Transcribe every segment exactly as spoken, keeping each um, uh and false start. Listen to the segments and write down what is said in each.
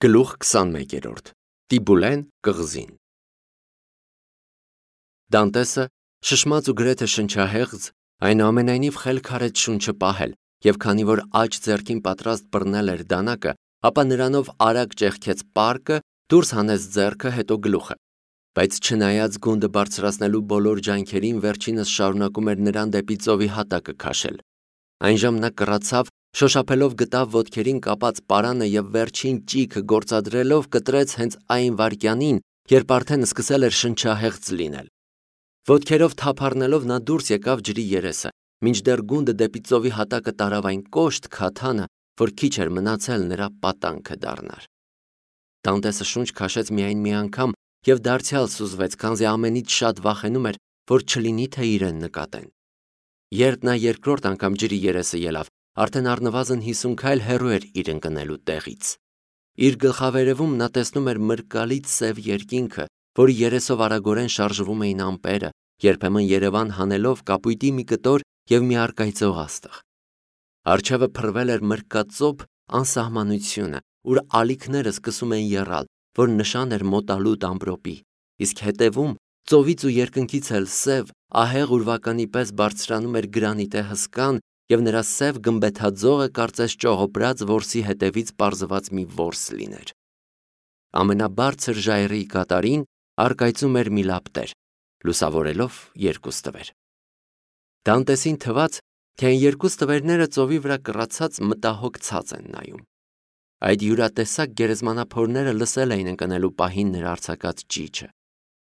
Գլուխ քսանմեկերորդ Տիբուլեն կղզին Դանտեսը շշմած ու գրեթե շնչահեղձ, այնուամենայնիվ խելք արեց շունչը պահել, և քանի որ աջ ձեռքին պատրաստ բռնել էր դանակը, ապա նրանով արագ ճեղքեց պարկը, դուրս հանեց ձեռքը, հետո գլուխը, բայց չնայած գունդը բարձրացնելու բոլոր ջանքերին, վերջինս շարունակում էր նրան դեպի ծովի հատակը քաշել։ Այնժամ նա կռացավ, շոշափելով գտավ ոտքերին կապած պարանը և վերջին ճիգը գործադրելով կտրեց հենց այն վայրկյանին, երբ արդեն սկսել էր շնչահեղձ լինել։ Ոտքերով թափ առնելով նա դուրս եկավ ջրի երեսը, մինչդեռ գունդը դեպի ծովի հատակը տարավ այն կոշտ քաթանը, որ քիչ էր մնացել նրա պատանքը դառնար։ Դանտեսը շունչ քաշեց միայն մի անգամ և դարձյալ սուզվեց, քանզի ամենից շատ վախենում էր, որ չլինի թե իրեն նկատեն։ Երբ նա երկրորդ անգամ ջրի երեսը ելավ, արդեն առնվազն հիսուն քայլ հեռու էր իր ընկնելու տեղից։ Իր գլխավերևում նա տեսնում էր մրկալից սև երկինքը, որի երեսով արագորեն շարժվում էին ամպերը, երբեմն Երևան հանելով կապույտի մի կտոր և մի առկայծող աստղ։ Առջևը փռվել էր մրկածոփ անսահմանությունը, ուր ալիքները սկսում էին եռալ, որ նշան էր մոտալուտ ամպրոպի, իսկ հետևում ծովից ու երկնքից էլ սև, ահեղ ուրվականի պես բարձրանում էր գրանիտե հսկան, և նրա սև գմբեթաձողը կարծես ճողոպրած որսի հետևից պարզված մի որս լիներ։ Ամենաբարձր ժայռի կատարին առկայծում էր մի լապտեր, լուսավորելով երկու ստվեր։ Դանտեսին թվաց, թե այն երկու ստվերները ծովի վրա կռացած մտահոգ ցած են նայում։ Այդ յուրատեսակ գերեզմանափորները լսել էին ընկնելու պահին նրա արձակած ճիչը։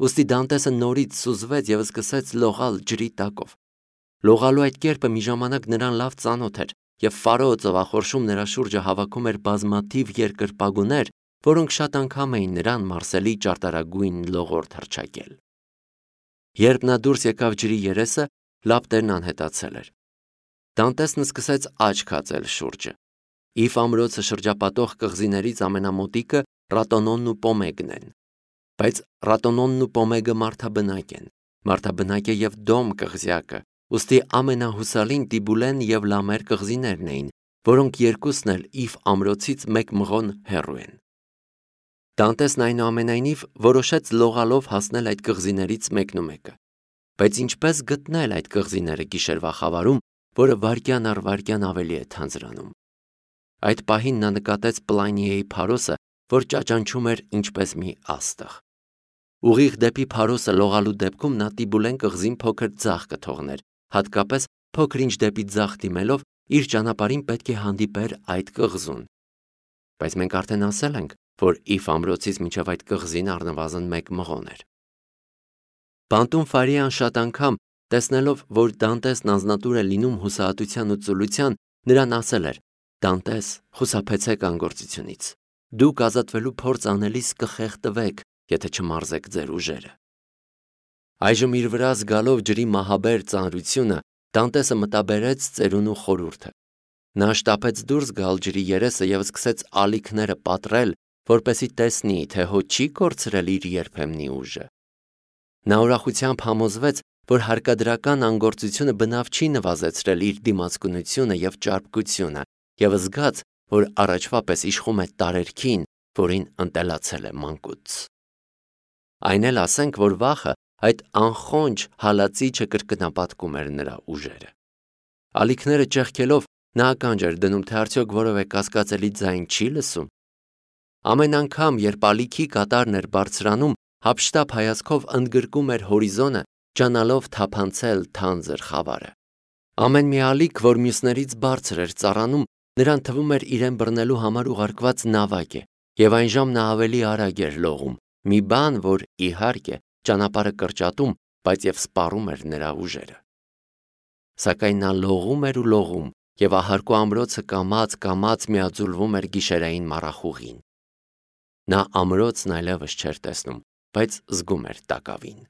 Ուստի Դանտեսը նորից սուզվեց և սկսեց լողալ ջրի տակով։ Լողալու այդ կերպը մի ժամանակ նրան լավ ծանոթ էր, և Ֆարոը ծովախորշում նրա շուրջը հավաքում էր բազմաթիվ երկրպագուներ, որոնք շատ անգամ էին նրան Մարսելի ճարտարագույն լողորդ հռչակել։ Երբ նա դուրս եկավ ջրի երեսը, լապտերն անհետացել էր։ Դանտեսն սկսեց աչք հածել շուրջը։ Իֆ ամրոցը շրջապատող կղզիներից ամենամոտիկը Ռատոնոնն ու Պոմեգն են։ Բայց Ռատոնոնն ու Պոմեգը մարդաբնակ են, մարդաբնակ է և Դոմ կղզյակը, ուստի ամենահուսալին Տիբուլեն և Լամեր կղզիներն էին, որոնք երկուսն էլ Իֆ ամրոցից մեկ մղոն հեռու են։ Դանտեսն այնուամենայնիվ որոշեց լողալով հասնել այդ կղզիներից մեկնումեկը։ Բայց ինչպես գտնել այդ կղզիները գիշերվա խավարում, որը վայրկյան առ վայրկյան ավելի է թանձրանում։ Այդ պահին նա նկատեց Պլայնիեի փարոսը, որ ճաճանչում էր ինչպես մի աստղ։ Ուղիղ դեպի փարոսը լողալու դեպքում նա Տիբուլեն կղզին փոքր ձախ կթողներ, հատկապես փոքր-ինչ դեպի ձախ դիմելով իր ճանապարհին պետք է հանդիպեր այդ կղզուն։ Բայց մենք արդեն ասել ենք, որ Իֆ ամրոցից մինչև այդ կղզին առնվազն մեկ մղոն էր։ Բանտում Ֆարիան շատ անգամ, տեսնելով, որ Դանտեսն անձնատուր է լինում հուսահատության ու ծուլության, նրան ասել էր. «Դանտես, խուսափեցեք անգործությունից։ Դուք ազատվելու փորձ անելիս կխեղդվեք, եթե չմարզեք ձեր ուժերը»։ Այժմ իր վրա զգալով ջրի մահաբեր ծանրությունը, Դանտեսը մտաբերեց ծերունու խորհուրդը։ Նա շտապեց դուրս գալ ջրի երեսը և սկսեց ալիքները պատռել, որպեսզի տեսնի, թե հո չի կորցրել իր երբեմնի ուժը։ Նա ուրախությամբ համոզվեց, որ հարկադրական անգործությունը բնավ չի նվազեցրել իր դիմացկունությունը և ճարպկությունը, և զգաց, որ առաջվա պես իշխում է տարերքին, որին ընտելացել է մանկուց։ Այն էլ ասենք, որ վախը, այդ անխոնջ հալածիչը կրկնապատկում էր նրա ուժերը։ Ալիքները ճեղքելով նա ականջ էր դնում, թե արդյոք որևէ կասկածելի ձայն չի լսում։ Ամեն անգամ, երբ ալիքի կատարն էր բարձրանում, հափշտապ հայացքով ընդգրկում էր հորիզոնը, ջանալով թափանցել թանձր խավարը։ Ամեն մի ալիք, որ մյուսներից բարձր էր ծառանում, նրան թվում էր իրեն բռնելու համար ուղարկված նավակ է, և այնժամ նա ավելի արագ էր լողում, մի բան, որ, իհարկե, ճանապարհը կրճատում, բայց և սպառում էր նրա ուժերը։ Սակայն նա լողում էր ու լողում, և ահարկու ամրոցը կամաց-կամաց միաձուլվում էր գիշերային մառախուղին։ Նա ամրոցն այլևս չէր տեսնում, բայց զգում էր տակավին։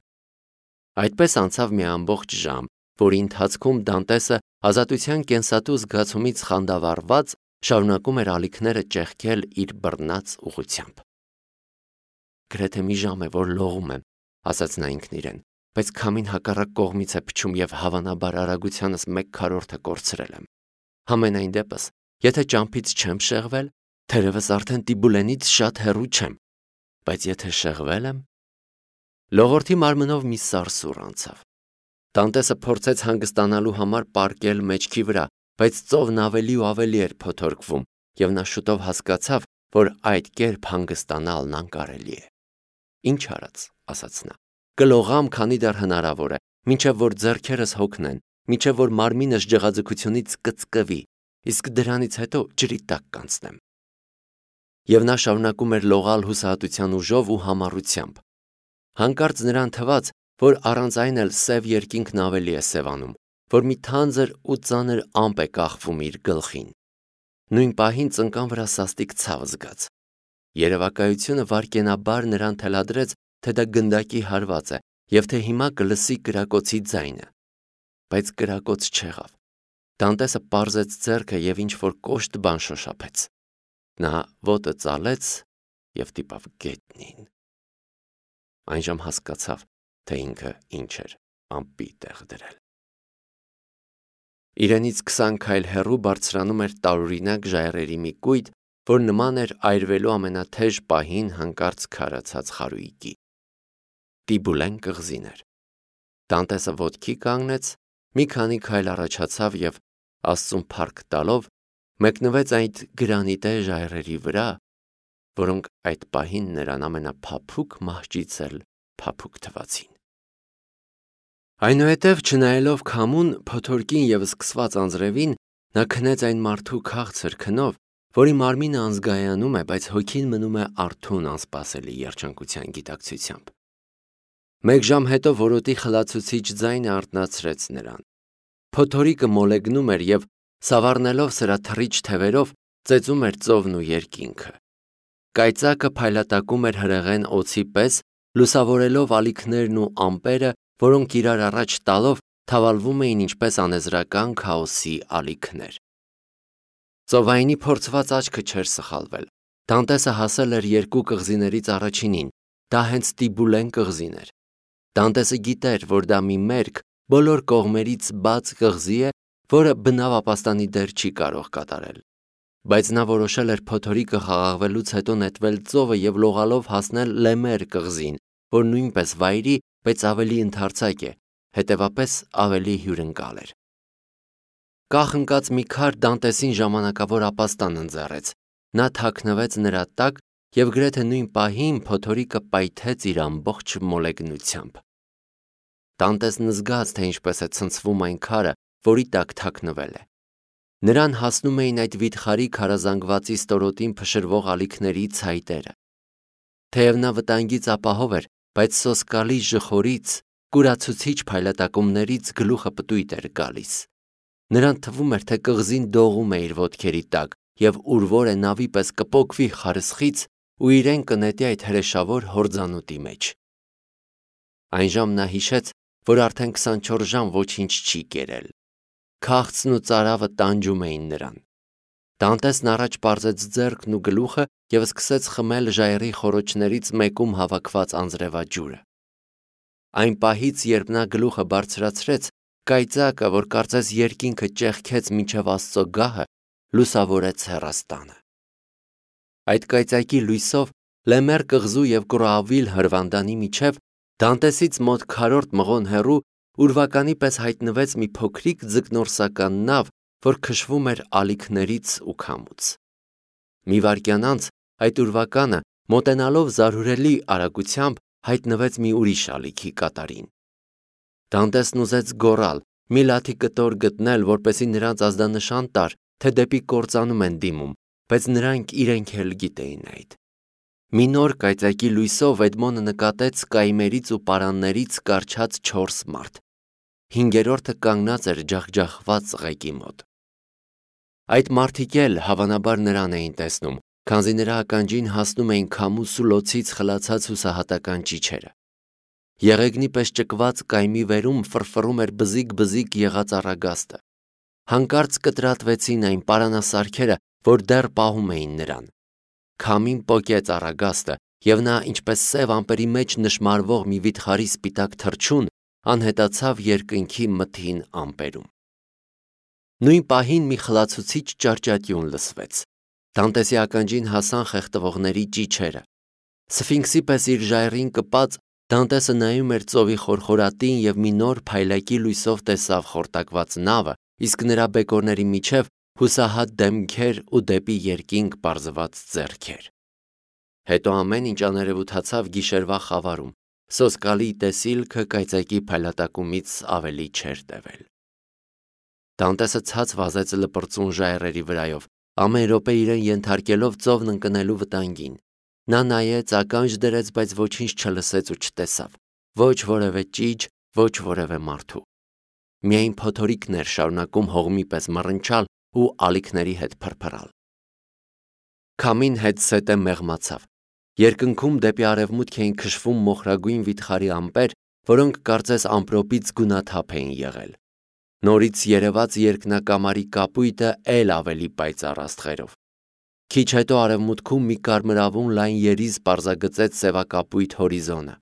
Այդպես անցավ մի ամբողջ ժամ, որի ընթացքում Դանտեսը ազատության կենսատու զգացումից խանդավառված շարունակում էր ալիքները ճեղքել իր բռնած ուղղությամբ։ «Գրեթե մի ժամ է, որ լողում եմ», ասաց նա ինքն իրեն, «բայց քամին հակառակ կողմից է փչում և հավանաբար արագությանս մեկ քառորդը կորցրել եմ։ Համենայն դեպս, եթե ճամփից չեմ շեղվել, Թերևս արդեն Տիբուլենից շատ հեռու չեմ, բայց եթե շեղվել եմ… Լողորդի մարմնով մի սարսուռ անցավ։ Տանտեսը փորձեց հանգստանալու համար պառկել մեջքի վրա, բայց ծովն ավելի ու ավելի էր փոթորկվում, և նա շուտով հասկացավ, որ այդ կերպ հանգստանալն անկարելի է։ Ինչ արած, ասաց նա, կլողամ, քանի դեռ հնարավոր է, մինչև որ ձեռքերս հոգնեն, մինչև որ մարմինս ջղաձգությունից կծկվի, իսկ դրանից հետո ջրի տակ կանցնեմ։ Եվ նա շարունակում էր լողալ հուսահատության ուժով ու համառությամբ։ Հանկարծ նրան թվաց, որ առանց այն էլ սև երկինքն ավելի է սևանում, որ մի թանձր ու ծանր ամպ է կախվում իր գլխին։ Նույն պահին ծնկան վրա սաստիկ ցավ զգաց։ Երևակայությունը վայրկենաբար նրան թելադրեց, թե դա գնդակի հարված է և թե հիմա կլսի կրակոցի ձայնը։ Բայց կրակոց չեղավ։ Դանտեսը պարզեց ձեռքը և ինչ-որ կոշտ բան շոշափեց։ Նա ոտը ծալեց և դիպավ գետնին։ Այժմ հասկացավ, թե ինքը ինչ էր ամպի տեղ դրել։ Իրենից քսան քայլ հեռու բարձրանում էր տարօրինակ ժայռերի մի կույտ, որ նման էր այրվելու ամենաթեժ պահին հանկարծ քարացած խարույկի։ Տիբուլեն կղզին էր։ Դանտեսը ոտքի կանգնեց, մի քանի քայլ առաջացավ և, Աստծուն փառք տալով, մեկնվեց այդ գրանիտե ժայռերի վրա, որոնք այդ պահին նրան ամենափափուկ մահճից էլ փափուկ թվացին։ Այնուհետև, չնայելով քամուն, փոթորկին և սկսված անձրևին, նա քնեց այն մարդու քաղցր քնով, որի մարմինը անզգայանում է, բայց հոգին մնում է արթուն անսպասելի երջանկության գիտակցությամբ։ Մեկ ժամ հետո որոտի խլացուցիչ ձայնը արթնացրեց նրան։ Փոթորիկը մոլեգնում էր և, սավառնելով սրա թռիչ թևերով, ծեծում էր ծովն ու երկինքը։ Կայծակը փայլատակում էր հրեղեն օձի պես, լուսավորելով ալիքներն ու ամպերը, որոնք իրար առաջ տալով թավալվում էին ինչպես անեզրական քաոսի ալիքներ։ Ծովայինի փորձված աչքը չէր սխալվել։ Դանտեսը հասել էր երկու կղզիներից առաջինին, դա հենց Տիբուլեն կղզին էր։ Դանտեսը գիտեր, որ դա մի մերկ, բոլոր կողմերից բաց կղզի է, որը բնավ ապաստանի դեր չի կարող կատարել։ Բայց նա որոշել էր փոթորիկը խաղաղվելուց հետո նետվել ծովը և լողալով հասնել Լեմեր կղզին, որ նույնպես վայրի, բայց ավելի ընդարձակ է, հետևապես ավելի հյուրընկալ էր։ Կախ ընկած մի քար Դանտեսին ժամանակավոր ապաստան ընձեռեց։ Նա թաքնվեց նրա տակ և գրեթե նույն պահին փոթորիկը պայթեց իր ամբողջ մոլեգնությամբ։ Դանտեսն զգաց, թե ինչպես է ցնցվում այն քարը, որի տակ թաքնվել է։ Նրան հասնում էին այդ վիթխարի քարազանգվածի ստորոտին փշրվող ալիքների ցայտերը։ Թեև նա վտանգից ապահով էր, բայց սոսկալի ժխորից, կուրացուցիչ փայլատակումներից գլուխը պտույտ էր գալիս։ Նրան թվում էր, թե կղզին դողում է իր ոտքերի տակ և ուրվոր է նավի պես կպոկվի խարսխից ու իրեն կնետի այդ հրեշավոր հորձանուտի մեջ։ Այնժամ նա հիշեց, որ արդեն քսանչորս ժամ ոչինչ չի կերել։ Քաղցն ու ծարավը տանջում էին նրան։ Դանտեսն առաջ պարզեց ձեռքն ու գլուխը և սկսեց խմել ժայռի խոռոչներից մեկում հավաքված անձրևաջուրը։ Այն պահից, երբ նա գլուխը բարձրացրեց, կայծակը, որ կարծես երկինքը ճեղքեց մինչև Աստծո գահը, լուսավորեց հեռաստանը։ Այդ կայծակի լույսով Լեմեր կղզու և Կրոավիլ հրվանդանի միջև Դանտեսից մոտ քառորդ մղոն հեռու ուրվականի պես հայտնվեց մի փոքրիկ ձկնորսական նավ, որ քշվում էր ալիքներից ու քամուց։ Մի վայրկյան անց այդ ուրվականը, մոտենալով զարհուրելի արագությամբ, հայտնվեց մի ուրիշ ալիքի կատարին։ Դանտեսն ուզեց գոռալ, մի լաթի կտոր գտնել, որպեսզի նրանց ազդանշան տար, թե դեպի կործանում են դիմում, բայց նրանք իրենք էլ գիտեին այդ։ Մի նոր կայծակի լույսով Էդմոնը նկատեց կայմերից ու պարաններից կառչած չորս մարդ։ Հինգերորդը կանգնած էր ջախջախված ծղեկի մոտ։ Այդ մարդիկ էլ հավանաբար նրան էին տեսնում, քանզի նրա ականջին հասնում էին քամու սուլոցից խլացած հուսահատական ճիչերը։ Եղեգնի պես ճկված կայմի վերում ֆռֆռում էր բզիկ-բզիկ եղած առագաստը։ Հանկարծ կտրատվեցին այն պարանասարքերը, որ դեռ պահում էին նրան։ Քամին պոկեց առագաստը, և նա, ինչպես սև ամպերի մեջ նշմարվող մի վիթխարի սպիտակ թռչուն, անհետացավ երկնքի մթին ամպերում։ Նույն պահին մի խլացուցիչ ճարճատյուն լսվեց։ Դանտեսի ականջին հասան խեղդվողների ճիչերը։ Սֆինքսի պես իր ժայռին կպած Դանտեսը նայում էր ծովի խորխորատին և մի նոր փայլակի լույսով տեսավ խորտակված նավը, իսկ նրա բեկորների միջև հուսահատ դեմքեր ու դեպի երկինք պարզված ձեռքեր։ Հետո ամեն ինչ աներևութացավ գիշերվա խավարում, սոսկալի տեսիլքը կայծակի փայլատակումից ավելի չէր տևել։ Դանտեսը ցած վազեց լպրծուն ժայռերի վրայով, ամեն րոպե իրեն ենթարկելով ծովն ընկնելու վտանգին։ Նա նայեց, ականջ դրեց, բայց ոչինչ չլսեց ու չտեսավ, ոչ որևէ ճիչ, ոչ որևէ մարդու։ Միայն փոթորիկն էր շարունակում հողմի պես մռնչալ ու ալիքների հետ փրփրալ։ Քամին հետզհետե մեղմացավ։ Երկնքում դեպի արևմուտք էին քշվում մոխրագույն վիթխարի ամպեր, որոնք կարծես ամպրոպից գունաթափ էին եղել։ Նորից երևաց երկնակամարի կապույտը էլ ավելի պայծառ աստղերով։ Քիչ հետո արևմուտքում մի կարմրավուն լայն երիզ պարզագծեց սևակապույտ հորիզոնը։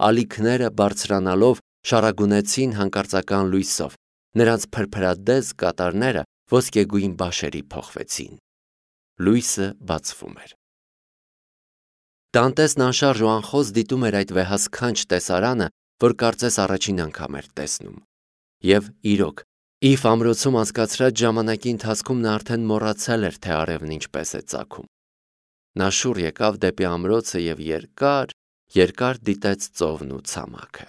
Ալիքները բարձրանալով շարագունեցին հանկարծական լույսով, նրանց փրփրադես կատարները ոսկեգույն բաշերի փոխվեցին։ Լույսը բացվում էր։ Դանտեսն անշարժ ու անխոս դիտում էր այդ վեհասքանչ տեսարանը, որ կարծես առաջին անգամ էր տեսնում։ Եվ իրոք, Իֆ ամրոցում անցկացրած ժամանակի ընթացքում նա արդեն մոռացել էր, թե արևն ինչպես է ծագում։ Նա շուռ եկավ դեպի ամրոցը և երկար, երկար դիտեց ծովն ու ցամաքը։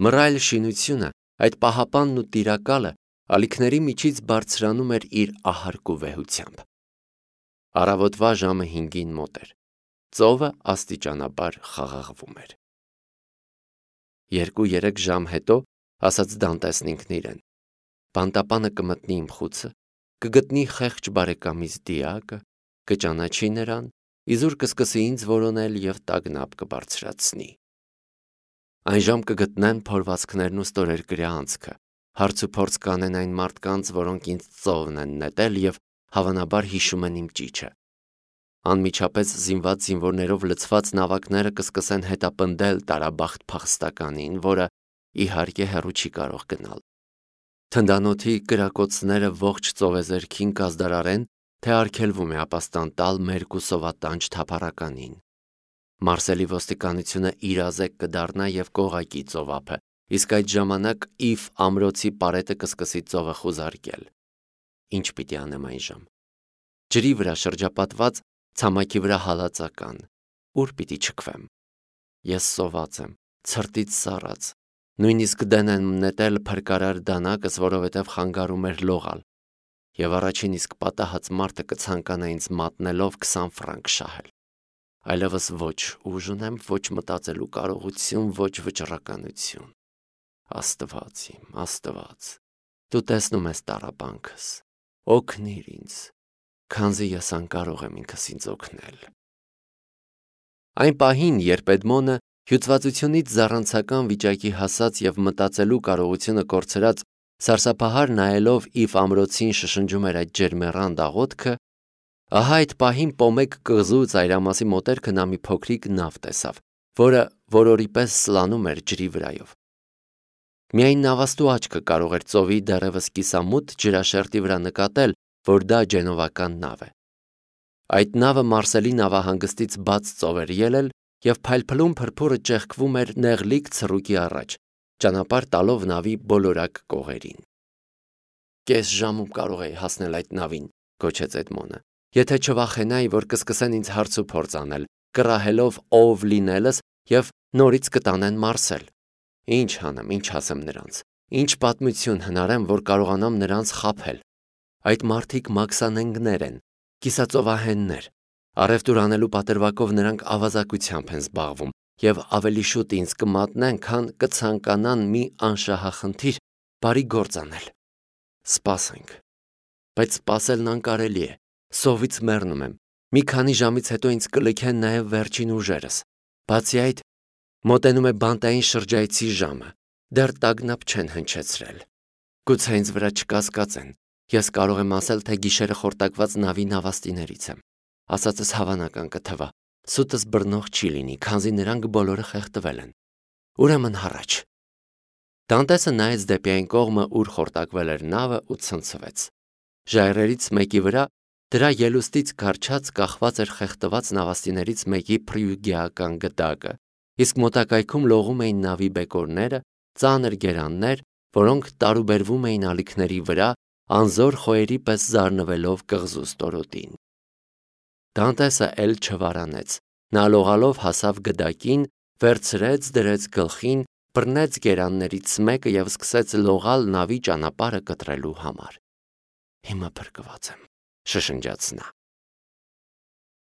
Մռայլ շինությունը, այդ պահապանն ու տիրակալը ալիքների միջից բարձրանում էր իր ահարկ ու վեհությամբ։ Առավոտվա ժամը հինգին մոտ էր։ Ծովը աստիճանաբար խաղաղվում էր։ Երկու-երեք ժամ հետո, ասաց Դանտեսն ինքն իրեն, բանտապանը կմտնի իմ խուցը, կգտնի խեղճ բարեկամիս դիակը, կճանաչի նրան, իզուր կսկսի ինձ որոնել և տագնապ կբարձրացնի։ Այն ժամ կգտնեն փորվածքներն ու ստորերկրյա անցքը, հարց ու փորձ կանեն այն մարդկանց, որոնք ինձ ծովն են նետել և հավանաբար հիշում են իմ ճիչը։ Անմիջապես զինված զինվորներով լցված նավակները կսկսեն հետապնդել տարաբախտ փախստականին, որը իհարկե հեռու չի կարող գնալ։ Թնդանոթի կրակոցները ողջ ծովեզերքին կազդարարեն, թե արգելվում է ապաստան տալ մերկ ու սովատանչ թափառականին։ Մարսելի ոստիկանությունը իրազեկ կդառնա և կողակի ծովափը, իսկ այդ ժամանակ Իֆ ամրոցի պարետը կսկսի ծովը խուզարկել։ Ինչ պիտի անեմ այն ժամ։ Ջրի վրա շրջապատված, ցամաքի վրա հալածական, ուր պիտի չքվեմ։ Ես սոված եմ, ցրտից սառած, նույնիսկ դեն եմ նետել փրկարար դանակս, որովհետև խանգարում էր լողալ, և առաջին իսկ պատահած մարդը կցանկանա ինձ մատնելով քսան ֆրանկ շահել։ Այլևս ոչ ուժ ունեմ, ոչ մտածելու կարողություն, ոչ վճռականություն։ Աստված իմ, Աստված, դու տեսնում ես տառապանքս, օգնիր ինձ, քանզի ես անկարող եմ ինքս ինձ օգնել։ Այն պահին, երբ Էդմոնը հյուծվածությունից զառանցական վիճակի հասած և մտածելու կարողությունը կորցրած սարսափահար նայելով Իֆ ամրոցին շշնջում էր այդ ջերմեռան աղոթքը, ահա այդ պահին պոմեկ կղզու ծայրամասի մոտերքը նա մի փոքրիկ նավ տեսավ, որը որորի պես սլանում էր ջրի վրայով։ Միայն նավաստու աչքը կարող էր ծովի դեռևս կիսամութ ջրաշերտի վրա նկատել, որ դա ջենովական նավ է։ Այդ նավը Մարսելի նավահանգստից բաց ծով էր ելել և փայլփլուն փրփուրը ճեղքվում էր նեղլիկ ցռուկի առաջ, ճանապարհ տալով նավի բոլորակ կողերին։ Կես ժամում կարող էի հասնել այդ նավին, գոչեց Էդմոնը, եթե չվախենայի, որ կսկսեն ինձ հարց ու փորձ անել, կռահելով ով լինելս և նորից կտանեն Մարսել։ Ինչ անեմ, ինչ ասեմ նրանց, ինչ պատմություն հնարեմ, որ կարողանամ նրանց խաբել։ Այդ մարդիկ մաքսանենգներ են, կիսածովահեններ, առևտուր անելու պատրվակով նրանք ավազակությամբ են զբաղվում և ավելի շուտ ինձ կմատնեն, քան կցանկանան մի անշահախնդիր բարի գործ անել։ Սպասենք։ Բայց սպասելն անկարելի է, սովից մեռնում եմ, մի քանի ժամից հետո ինձ կլքեն նաև վերջին ուժերս։ Բացի այդ, մոտենում է բանտային շրջայցի ժամը, դեռ տագնապ չեն հնչեցրել։ Գուցե ինձ վրա չկասկածեն, ես կարող եմ ասել, թե գիշերը խորտակված նավի նավաստիներից եմ, ասածս հավանական կթվա, սուտս բռնող չի լինի, քանզի նրանք բոլորը խեղդվել են։ Ուրեմն հառաչ։ Դանտեսը նայեց դեպի այն կողմը, ուր խորտակվել էր նավը ու ցնցվեց։ Ժայռերից մեկի վրա Դրա ելուստից կարճած կախված էր խեղդված նավաստիներից մեկի փրյուգիական գդակը, իսկ մոտակայքում լողում էին նավի բեկորները, ծանր գերաններ, որոնք տարուբերվում էին ալիքների վրա, անզոր խոյերի պես զարնվելով կղզու ստորոտին։ Դանտեսը էլ չվարանեց, նա լողալով հասավ գդակին, վերցրեց, դրեց գլխին, բռնեց գերաններից մեկը և սկսեց լողալ նավի ճանապարհը կտրելու համար։ Հիմա փրկված եմ, շշնջաց նա։